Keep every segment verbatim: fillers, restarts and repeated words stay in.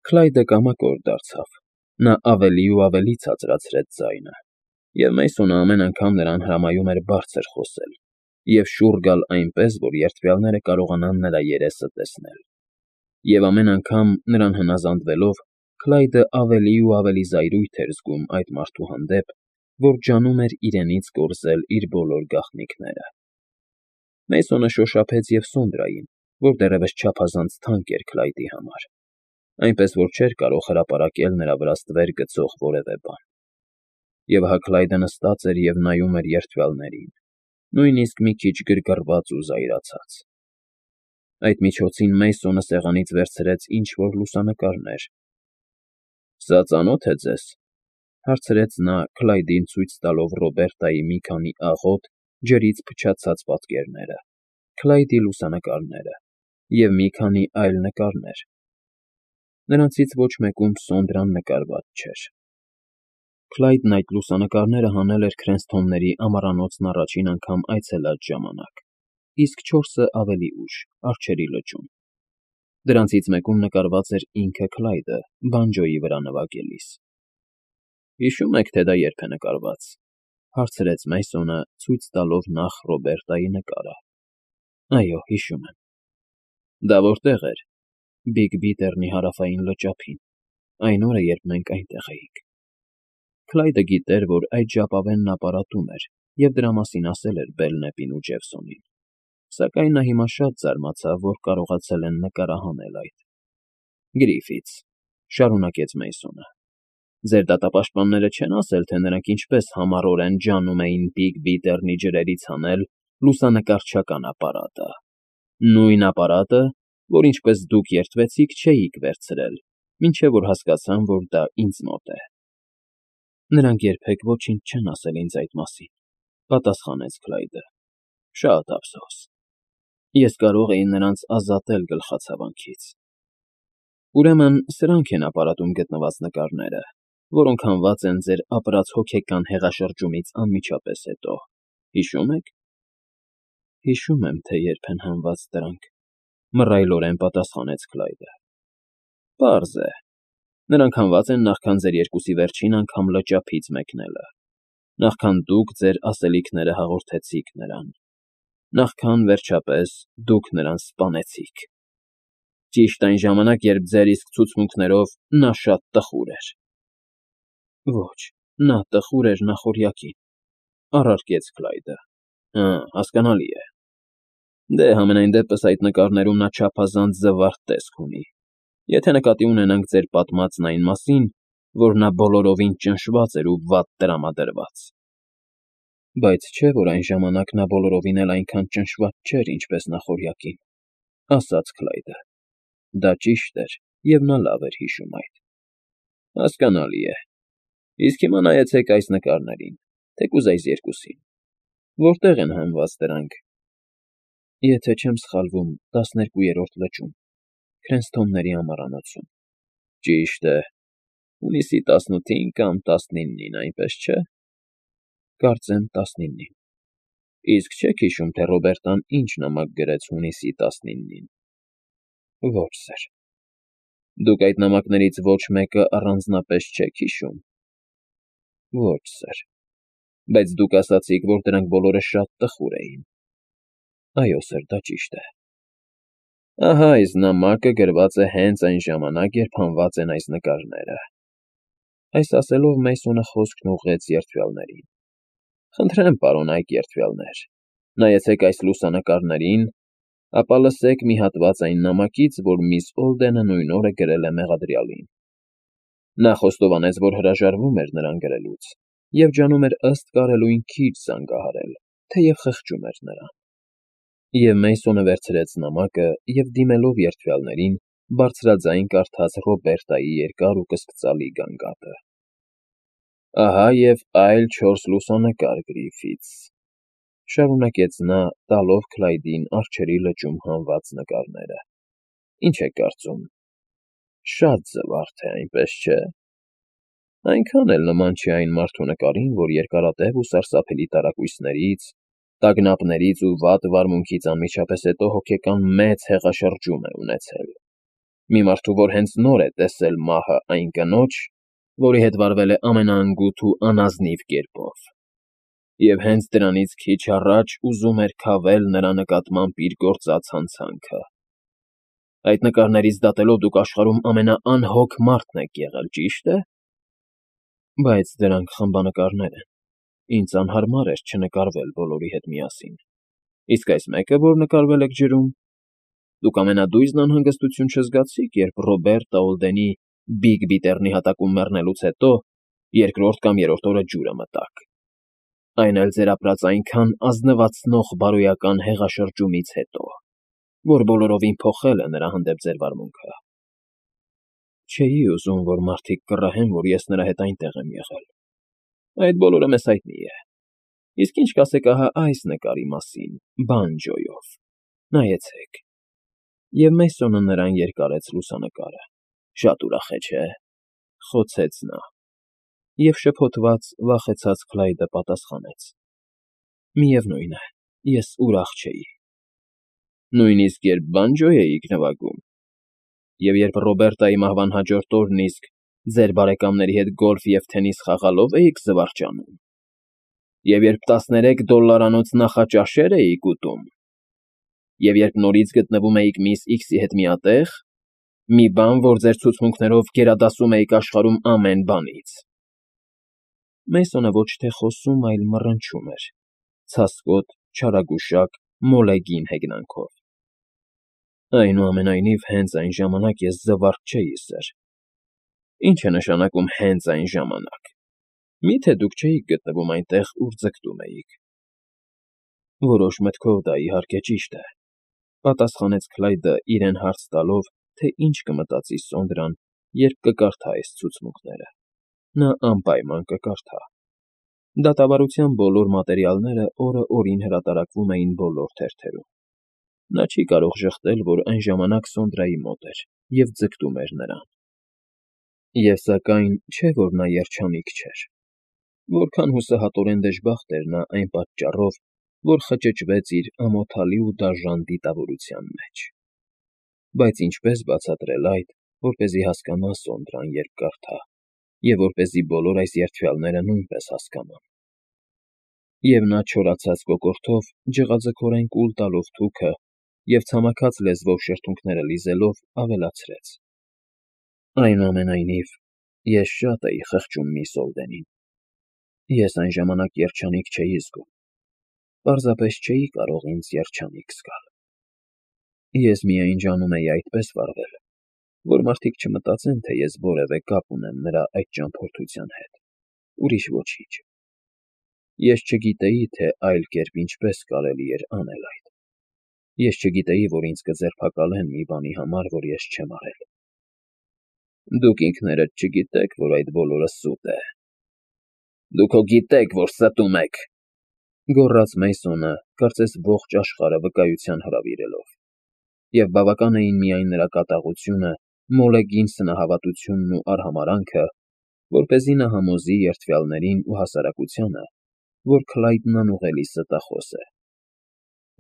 Քլայդը կամակոր դարձավ. նա ավելի ու ավելի ցածրացրեց ձայնը, և Մեյսոնը ամեն անգամ նրան հրամայում էր բարձր խոսել և շուռ գալ այնպես, որ երդվյալները կարողանան նրա երեսը տեսնել, և ամեն անգամ, նրան հնազանդվելով, Քլայդը ավելի ու ավելի զայրույթ էր զգում այդ մարդու հանդեպ, որ ջանում էր իրենից կորզել իր բոլոր գաղտնիքները։ Մեյսոնը շոշափեց և Սոնդրային, որ դեռևս չափազանց թանկ էր Քլայդի համար, այնպես որ չէր կարող հրապարակել նրա վրա ստվեր գցող որևէ բան։ Եվ հա Քլայդը նստած էր և նայում էր երդվյալներին, նույնիսկ մի քիչ գրգռված ու զայրացած։ Այդ միջոցին Մեյսոնը սեղանից վերցրեց ինչ֊որ լուսանկարներ։ ֊ Սա ծանո՞թ է ձեզ,֊ հարցրեց նա՝ Քլայդին ցույց տալով Ռոբերտայի մի քանի աղոտ, ջրից փչացած պատկերները, Քլայդի լուսանկարները և մի քանի այլ նկարներ. նրանցից ոչ մեկում Սոնդրան նկարված չէր։ Քլայդն այդ լուսանկարները հանել էր Քրենսթոնների ամառանոցն առաջին անգամ այցելած ժամանակ, իսկ չորսը ավելի ուշ՝ Արջերի լճում։ Դրանցից մեկում նկարված էր ինքը Քլայդը՝ բանջոյի վրա նվագելիս։ ֊ Հիշո՞ւմ եք, թե դա երբ է նկարված,֊ հարցրեց Մեյսոնը՝ ցույց տալով նախ Ռոբերտայի նկարը։ ֊ Այո, հիշում եմ։ ֊ Դա որտե՞ղ էր։ ֊ Բիգ Բիթեռնի հարավային լճափին, այն օրը, երբ մենք այնտեղ էինք։ Քլայդը գիտեր, որ այդ ժապավենն նա պարատում էր և դրա մասին ասել էր Բելնեպին ու Ջեֆսոնին, սակայն նա հիմա շատ զարմացավ, որ կարողացել են նկարահանել այդ։ ֊ Գրիֆիթս,֊ շարունակեց Մեյսոնը,֊ ձեր դատապաշտպանները չեն ասել, թե նրանք ինչպես համառորեն ջանում էին Բիգ Բիթեռնի ջրերից հանել լուսանկարչական ապարատը, նույն ապարատը, որ, ինչպես դուք երդվեցիք, չէիք վերցրել, մինչև որ հասկացան, որ դա ինձ մոտ է։ ֊ Նրանք երբեք ոչինչ չեն ասել ինձ այդ մասին,֊ պատասխանեց Քլայդը։ ֊ Շատ ափսոս։ Ես կարող էի նրանց ազատել գլխացավանքից։ Ուրեմն սրանք են ապարատում գտնված նկարները, որոնք հանված են ձեր ապրած հոգեկան հեղաշրջումից անմիջապես հետո, հիշո՞ւմ եք։ ֊ Հիշում եմ, թե երբ են հանված դրանք,֊ մռայլորեն պատասխանեց Քլայդը։ ֊ Պարզ է. նրանք հանված են նախքան ձեր երկուսի վերջին անգամ լճափից մեկնելը, նախքան դուք ձեր ասելիքները հաղորդեցիք նրան, նախքան, վերջապես, դուք նրան սպանեցիք։ Ճիշտ այն ժամանակ, երբ ձեր իսկ ցուցմունքներով նա շատ տխուր էր։ ֊ Ոչ, նա տխուր էր նախօրյակին,֊ առարկեց Քլայդը։ ֊ Հը, հասկանալի է։ Դե, համենայն դեպս այդ նկարներում նա չափազանց զվարթ տեսք ունի, եթե նկատի ունենանք ձեր պատմածն այն մասին, որ նա բոլորովին ճնշված էր ու վատ տրամադրված։ ֊ Բայց չէ՞ որ այն ժամանակ նա բոլորովին էլ այնքան ճնշված չէր, ինչպես նախօրյակին,֊ ասաց Քլայդը։ Դա ճիշտ էր, և նա լավ էր հիշում այդ։ ֊ Հասկանալի է։ Իսկ հիմա նայեցեք այս նկարներին, թեկուզ այս երկուսին. որտե՞ղ են հանված դրանք։ ֊ Եթե չեմ սխալվում, տասներկուերորդ լճում, Քրենսթոնների ամառանոցում։ ֊ Ճիշտ է, հունիսի տասնութին կամ տասնինին, այնպես չէ։ ֊ Կարծեմ տասնինին։ ֊ Իսկ չե՞ք հիշում, թե Ռոբերտան ինչ նամակ գրեց հունիսի տասնինին։ ֊ Ոչ, սըր։ ֊ Դուք այդ նամակներից ոչ մեկը առանձնապես չեք հիշո՞ւմ։ ֊ Ոչ, սըր։ ֊ Բայց դուք ասացիք, որ դրանք բոլորը շատ տխուր էին։ ֊ Այո, սըր, դա ճիշտ է։ ֊ Ահա այս նամակը գրված է հենց այն ժամանակ, երբ հանված են այս նկարները։ Այս ասելով Մեյսոնը խոսքն ուղղեց երդվյալներին։ ֊ Խնդրեմ, պարոնայք երդվյալներ, նայեցեք այս լուսանկարներին, ապա լսեք մի հատված այն նամակից, որ միս Օլդենը նույն օրը գրել է մեղադրյալին։ Նա խոստովանեց, որ հրաժարվում էր նրան գրելուց և ջանում էր ըստ կարելույն քիչ զանգահարել, թեև խղճում էր նրան։ Եվ Մեյսոնը վերցրեց նամակը և, դիմելով երդվյալներին, բարձրաձայն կարդաց Ռոբերտայի երկար ու կսկծալի գանգատը։ ֊ Ահա և այլ չորս լուսանկար, Գրիֆիթս,֊ շարունակեց նա՝ տալով Քլայդին Արջերի լճում հանված նկարները։ ֊ Ինչ եք կարծում, շատ զվարթ է, այնպես չէ՞։ Այնքան էլ նման չի այն մարդու նկարին, որ երկարատև ու սարսափելի տարակույսներից, տագնապներից ու վատ վարմունքից անմիջապես հետո հոգեկան մեծ հեղաշրջում է ունեցել։ Մի մարդու, որ հենց նոր է տեսել մահը այն կնոջ, որի հետ վարվել է ամենաանգութ ու անազնիվ կերպով, և հենց դրանից քիչ առաջ ուզում էր քավել նրա նկատմամբ իր գործած հանցանքը։ Այդ նկարներից դատելով դուք աշխարհում ամենաանհոգ մարդն եք եղել, ճի՞շտ է։ Բայց դրանք խմբանկարներ են, ինձ անհարմար էր չնկարվել բոլորի հետ միասին։ Իսկ այս մեկը, որ նկարվել եք ջրում, դուք ամենադույզն անհանգստություն չզգացի՞ք, երբ Ռոբերտ Օուլդենի Բիգ Բիթեռնի հատակում մեռնելուց հետո երկրորդ կամ երրորդ օրը ջուրը մտաք, այն էլ ձեր ապրած այնքան ազնվացնող բարոյական հեղաշրջումից հետո, որ բոլորովին փոխել է նրա հանդեպ ձեր վարմունքը։ Չէի ուզում, որ մարդիկ կռահեն, որ ես նրա հետ այնտեղ եմ եղել։ Այդ բոլորը մեզ հայտնի է։ Իսկ ինչ կասեք ահա այս նկարի մասին, բանջոյով։ Նայեցեք։ Եվ Մեյսոնը նրան երկարեց լուսանկարը։ Շատ ուրախ է, չէ՞, խոցեց նա։ Եվ շփոթված, վախեցած Քլայդը պատասխանեց. Միևնույն է, ես ուրախ չէի։ Նույնիսկ երբ բանջո էիք նվագում։ Եվ երբ Ռոբերտայի մահվան հաջորդ օրն իսկ ձեր բարեկամների հետ գոլֆ և թենիս խաղալով էիք զվարճանում։ Եվ երբ տասներեք դոլլարանոց նախաճաշեր էիք ուտում։ Եվ երբ նորից գտնվում էիք միս Իքսի հետ միատեղ, մի բան, որ ձեր ցուցմունքներով գերադասում էիք աշխարհում ամեն բանից։ Մեյսոնը ոչ թե խոսում, այլ մռնչում էր, ցասկոտ, չարագուշակ, մոլեգին հեգնանքով։ Այնուամենայնիվ, հենց այն ժամանակ ես զվարճ չէի, սըր։ Ինչ է նշանակում հենց այն ժամանակ։ Մի՞թե դուք չէիք գտնվում այնտեղ, ուր ձգտում էիք։ Որոշ մտքով դա իհարկե ճիշտ է, պատասխանեց Քլայդը, իրեն հարց տալով, թե ինչ կմտածի Սոնդրան, երբ կկարդա այս ցուցմունքները։ Նա անպայման կկարդա։ Դատավարության բոլոր մատերիալները օրը օրին հրատարակվում էին բոլոր թերթերում։ Նա չի կարող ժխտել, որ այն ժամանակ Սոնդրայի մոտ էր և ձգտում էր նրան։ Եվ սակայն չէ, որ նա երջանիկ չէր։ Որքան հուսահատորեն դժբախտ էր նա այն պատճառով, որ խճճվեց իր ամոթալի ու դաժան դիտավորության մեջ։ Բայց ինչպես բացատրել այդ, որպեսզի հասկանա Սոնդրան, երբ կարդա, և որպեսզի բոլոր այս երդվյալները նույնպես հասկանան։ Եվ նա չորացած կոկորդով, ջղաձգորեն կուլ տալով թուքը և ցամաքած լեզվով շրթունքները լիզելով, ավելացրեց. Այնուամենայնիվ, ես շատ էի խղճում միս Օուլդենին։ Ես այն ժամանակ երջանիկ չէի զգում։ Պարզապես չէի կարող ինձ երջանիկ զգալ։ Ես միայն ջանում էի այդպես վարվել, որ մարդիկ չմտածեն, թե ես որևէ կապ ունեմ նրա այդ ճամփորդության հետ, ուրիշ ոչինչ։ Ես չգիտեի, թե այլ կերպ ինչպես կարելի էր անել այդ։ Ես չգիտեի, որ ինձ կձերբակալեն մի բանի համար, որ ես չեմ արել։ Դուք ինքներդ չգիտեք, որ այդ բոլորը սուտ է։ Դուք հո գիտեք, որ ստում եք, գոռաց Մեյսոնը, կարծես ողջ աշխարհը վկայության հրավիրելով։ Եվ բավական էին միայն նրա կատաղությունը, մոլեգին սնահավատությունն ու արհամարհանքը, որպեսզի նա համոզի երդվյալներին ու հասարակությանը, որ Քլայդն անուղելի ստախոս է։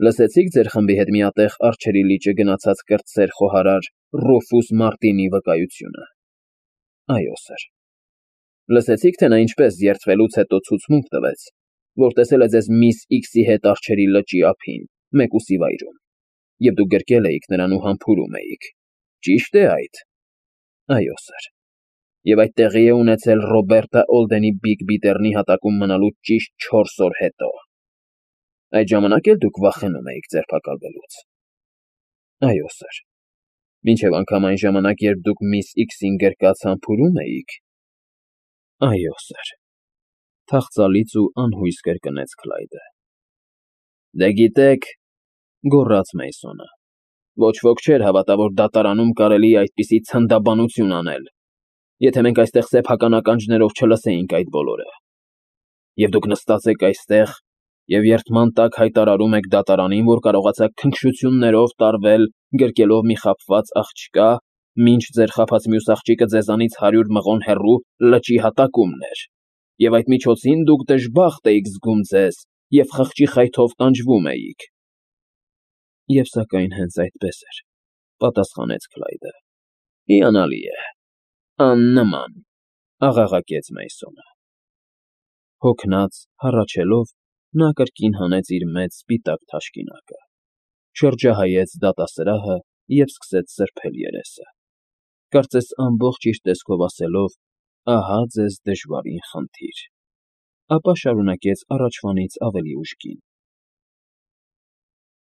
Լսեցի՞ք ձեր խմբի հետ միատեղ Արջերի լիճը գնացած կրտսեր խոհարար Ռուֆուս Մարտինի վկայությունը։ Այո, սըր։ Լսեցի՞ք, թե նա ինչպես երդվելուց հետո ցուցմունք տվեց, որ տեսել է ձեզ միս Իքսի հետ Արջերի լճի ափին, մեկուսի վայրում, և դուք գրկել էիք նրան ու համբուրում էիք։ Ճի՞շտ է այդ։ Այո, սըր։ Եվ այդ տեղի է ունեցել Ռոբերտը Օուլդենի Բիգ Բիթեռնի հատակում մնալուց ճիշտ չորս օր հետո։ Այդ ժամանակ էլ դուք վախենում էիք ձերբակալվելուց։ Այո, սըր։ Մինչև անգամ այն ժամանակ, երբ դուք միս Իքսին գրկած համբուրում էիք։ Այո, սըր։ Թախծալից ու անհույս կրկնեց Քլայդը։ Դե գիտեք, գոռաց Մեյսոնը, ոչ ոք չէր հավատա, որ դատարանում կարելի է այդպիսի ցնդաբանություն անել, եթե մենք այստեղ սեփական ականջներով չլսեինք այդ բոլորը։ Եվ դուք նստած եք այստեղ և երդման տակ հայտարարում եք դատարանին, որ կարողացաք քնքշություններով տարվել, գրկելով մի խաբված աղջկա, մինչ ձեր խաբած մյուս աղջիկը ձեզանից հարյուր մղոն հեռու լճի հատակումն էր, և այդ միջոցին դուք դժբախտ էիք զգում ձեզ և խղճի խայթով տանջվում էիք։ Եվ սակայն հենց այդպես էր, պատասխանեց Քլայդը։ Հիանալի է, աննման,֊ աղաղակեց Մեյսոնը։ Հոգնած, հառաչելով, նա կրկին հանեց իր մեծ սպիտակ թաշկինակը, շրջահայաց դատասրահը և սկսեց սրբել երեսը, կարծես ամբողջ իր տեսքով ասելով. «Ահա ձեզ դժվարին խնդիր», ապա շարունակեց առաջվանից ավելի ուժգին.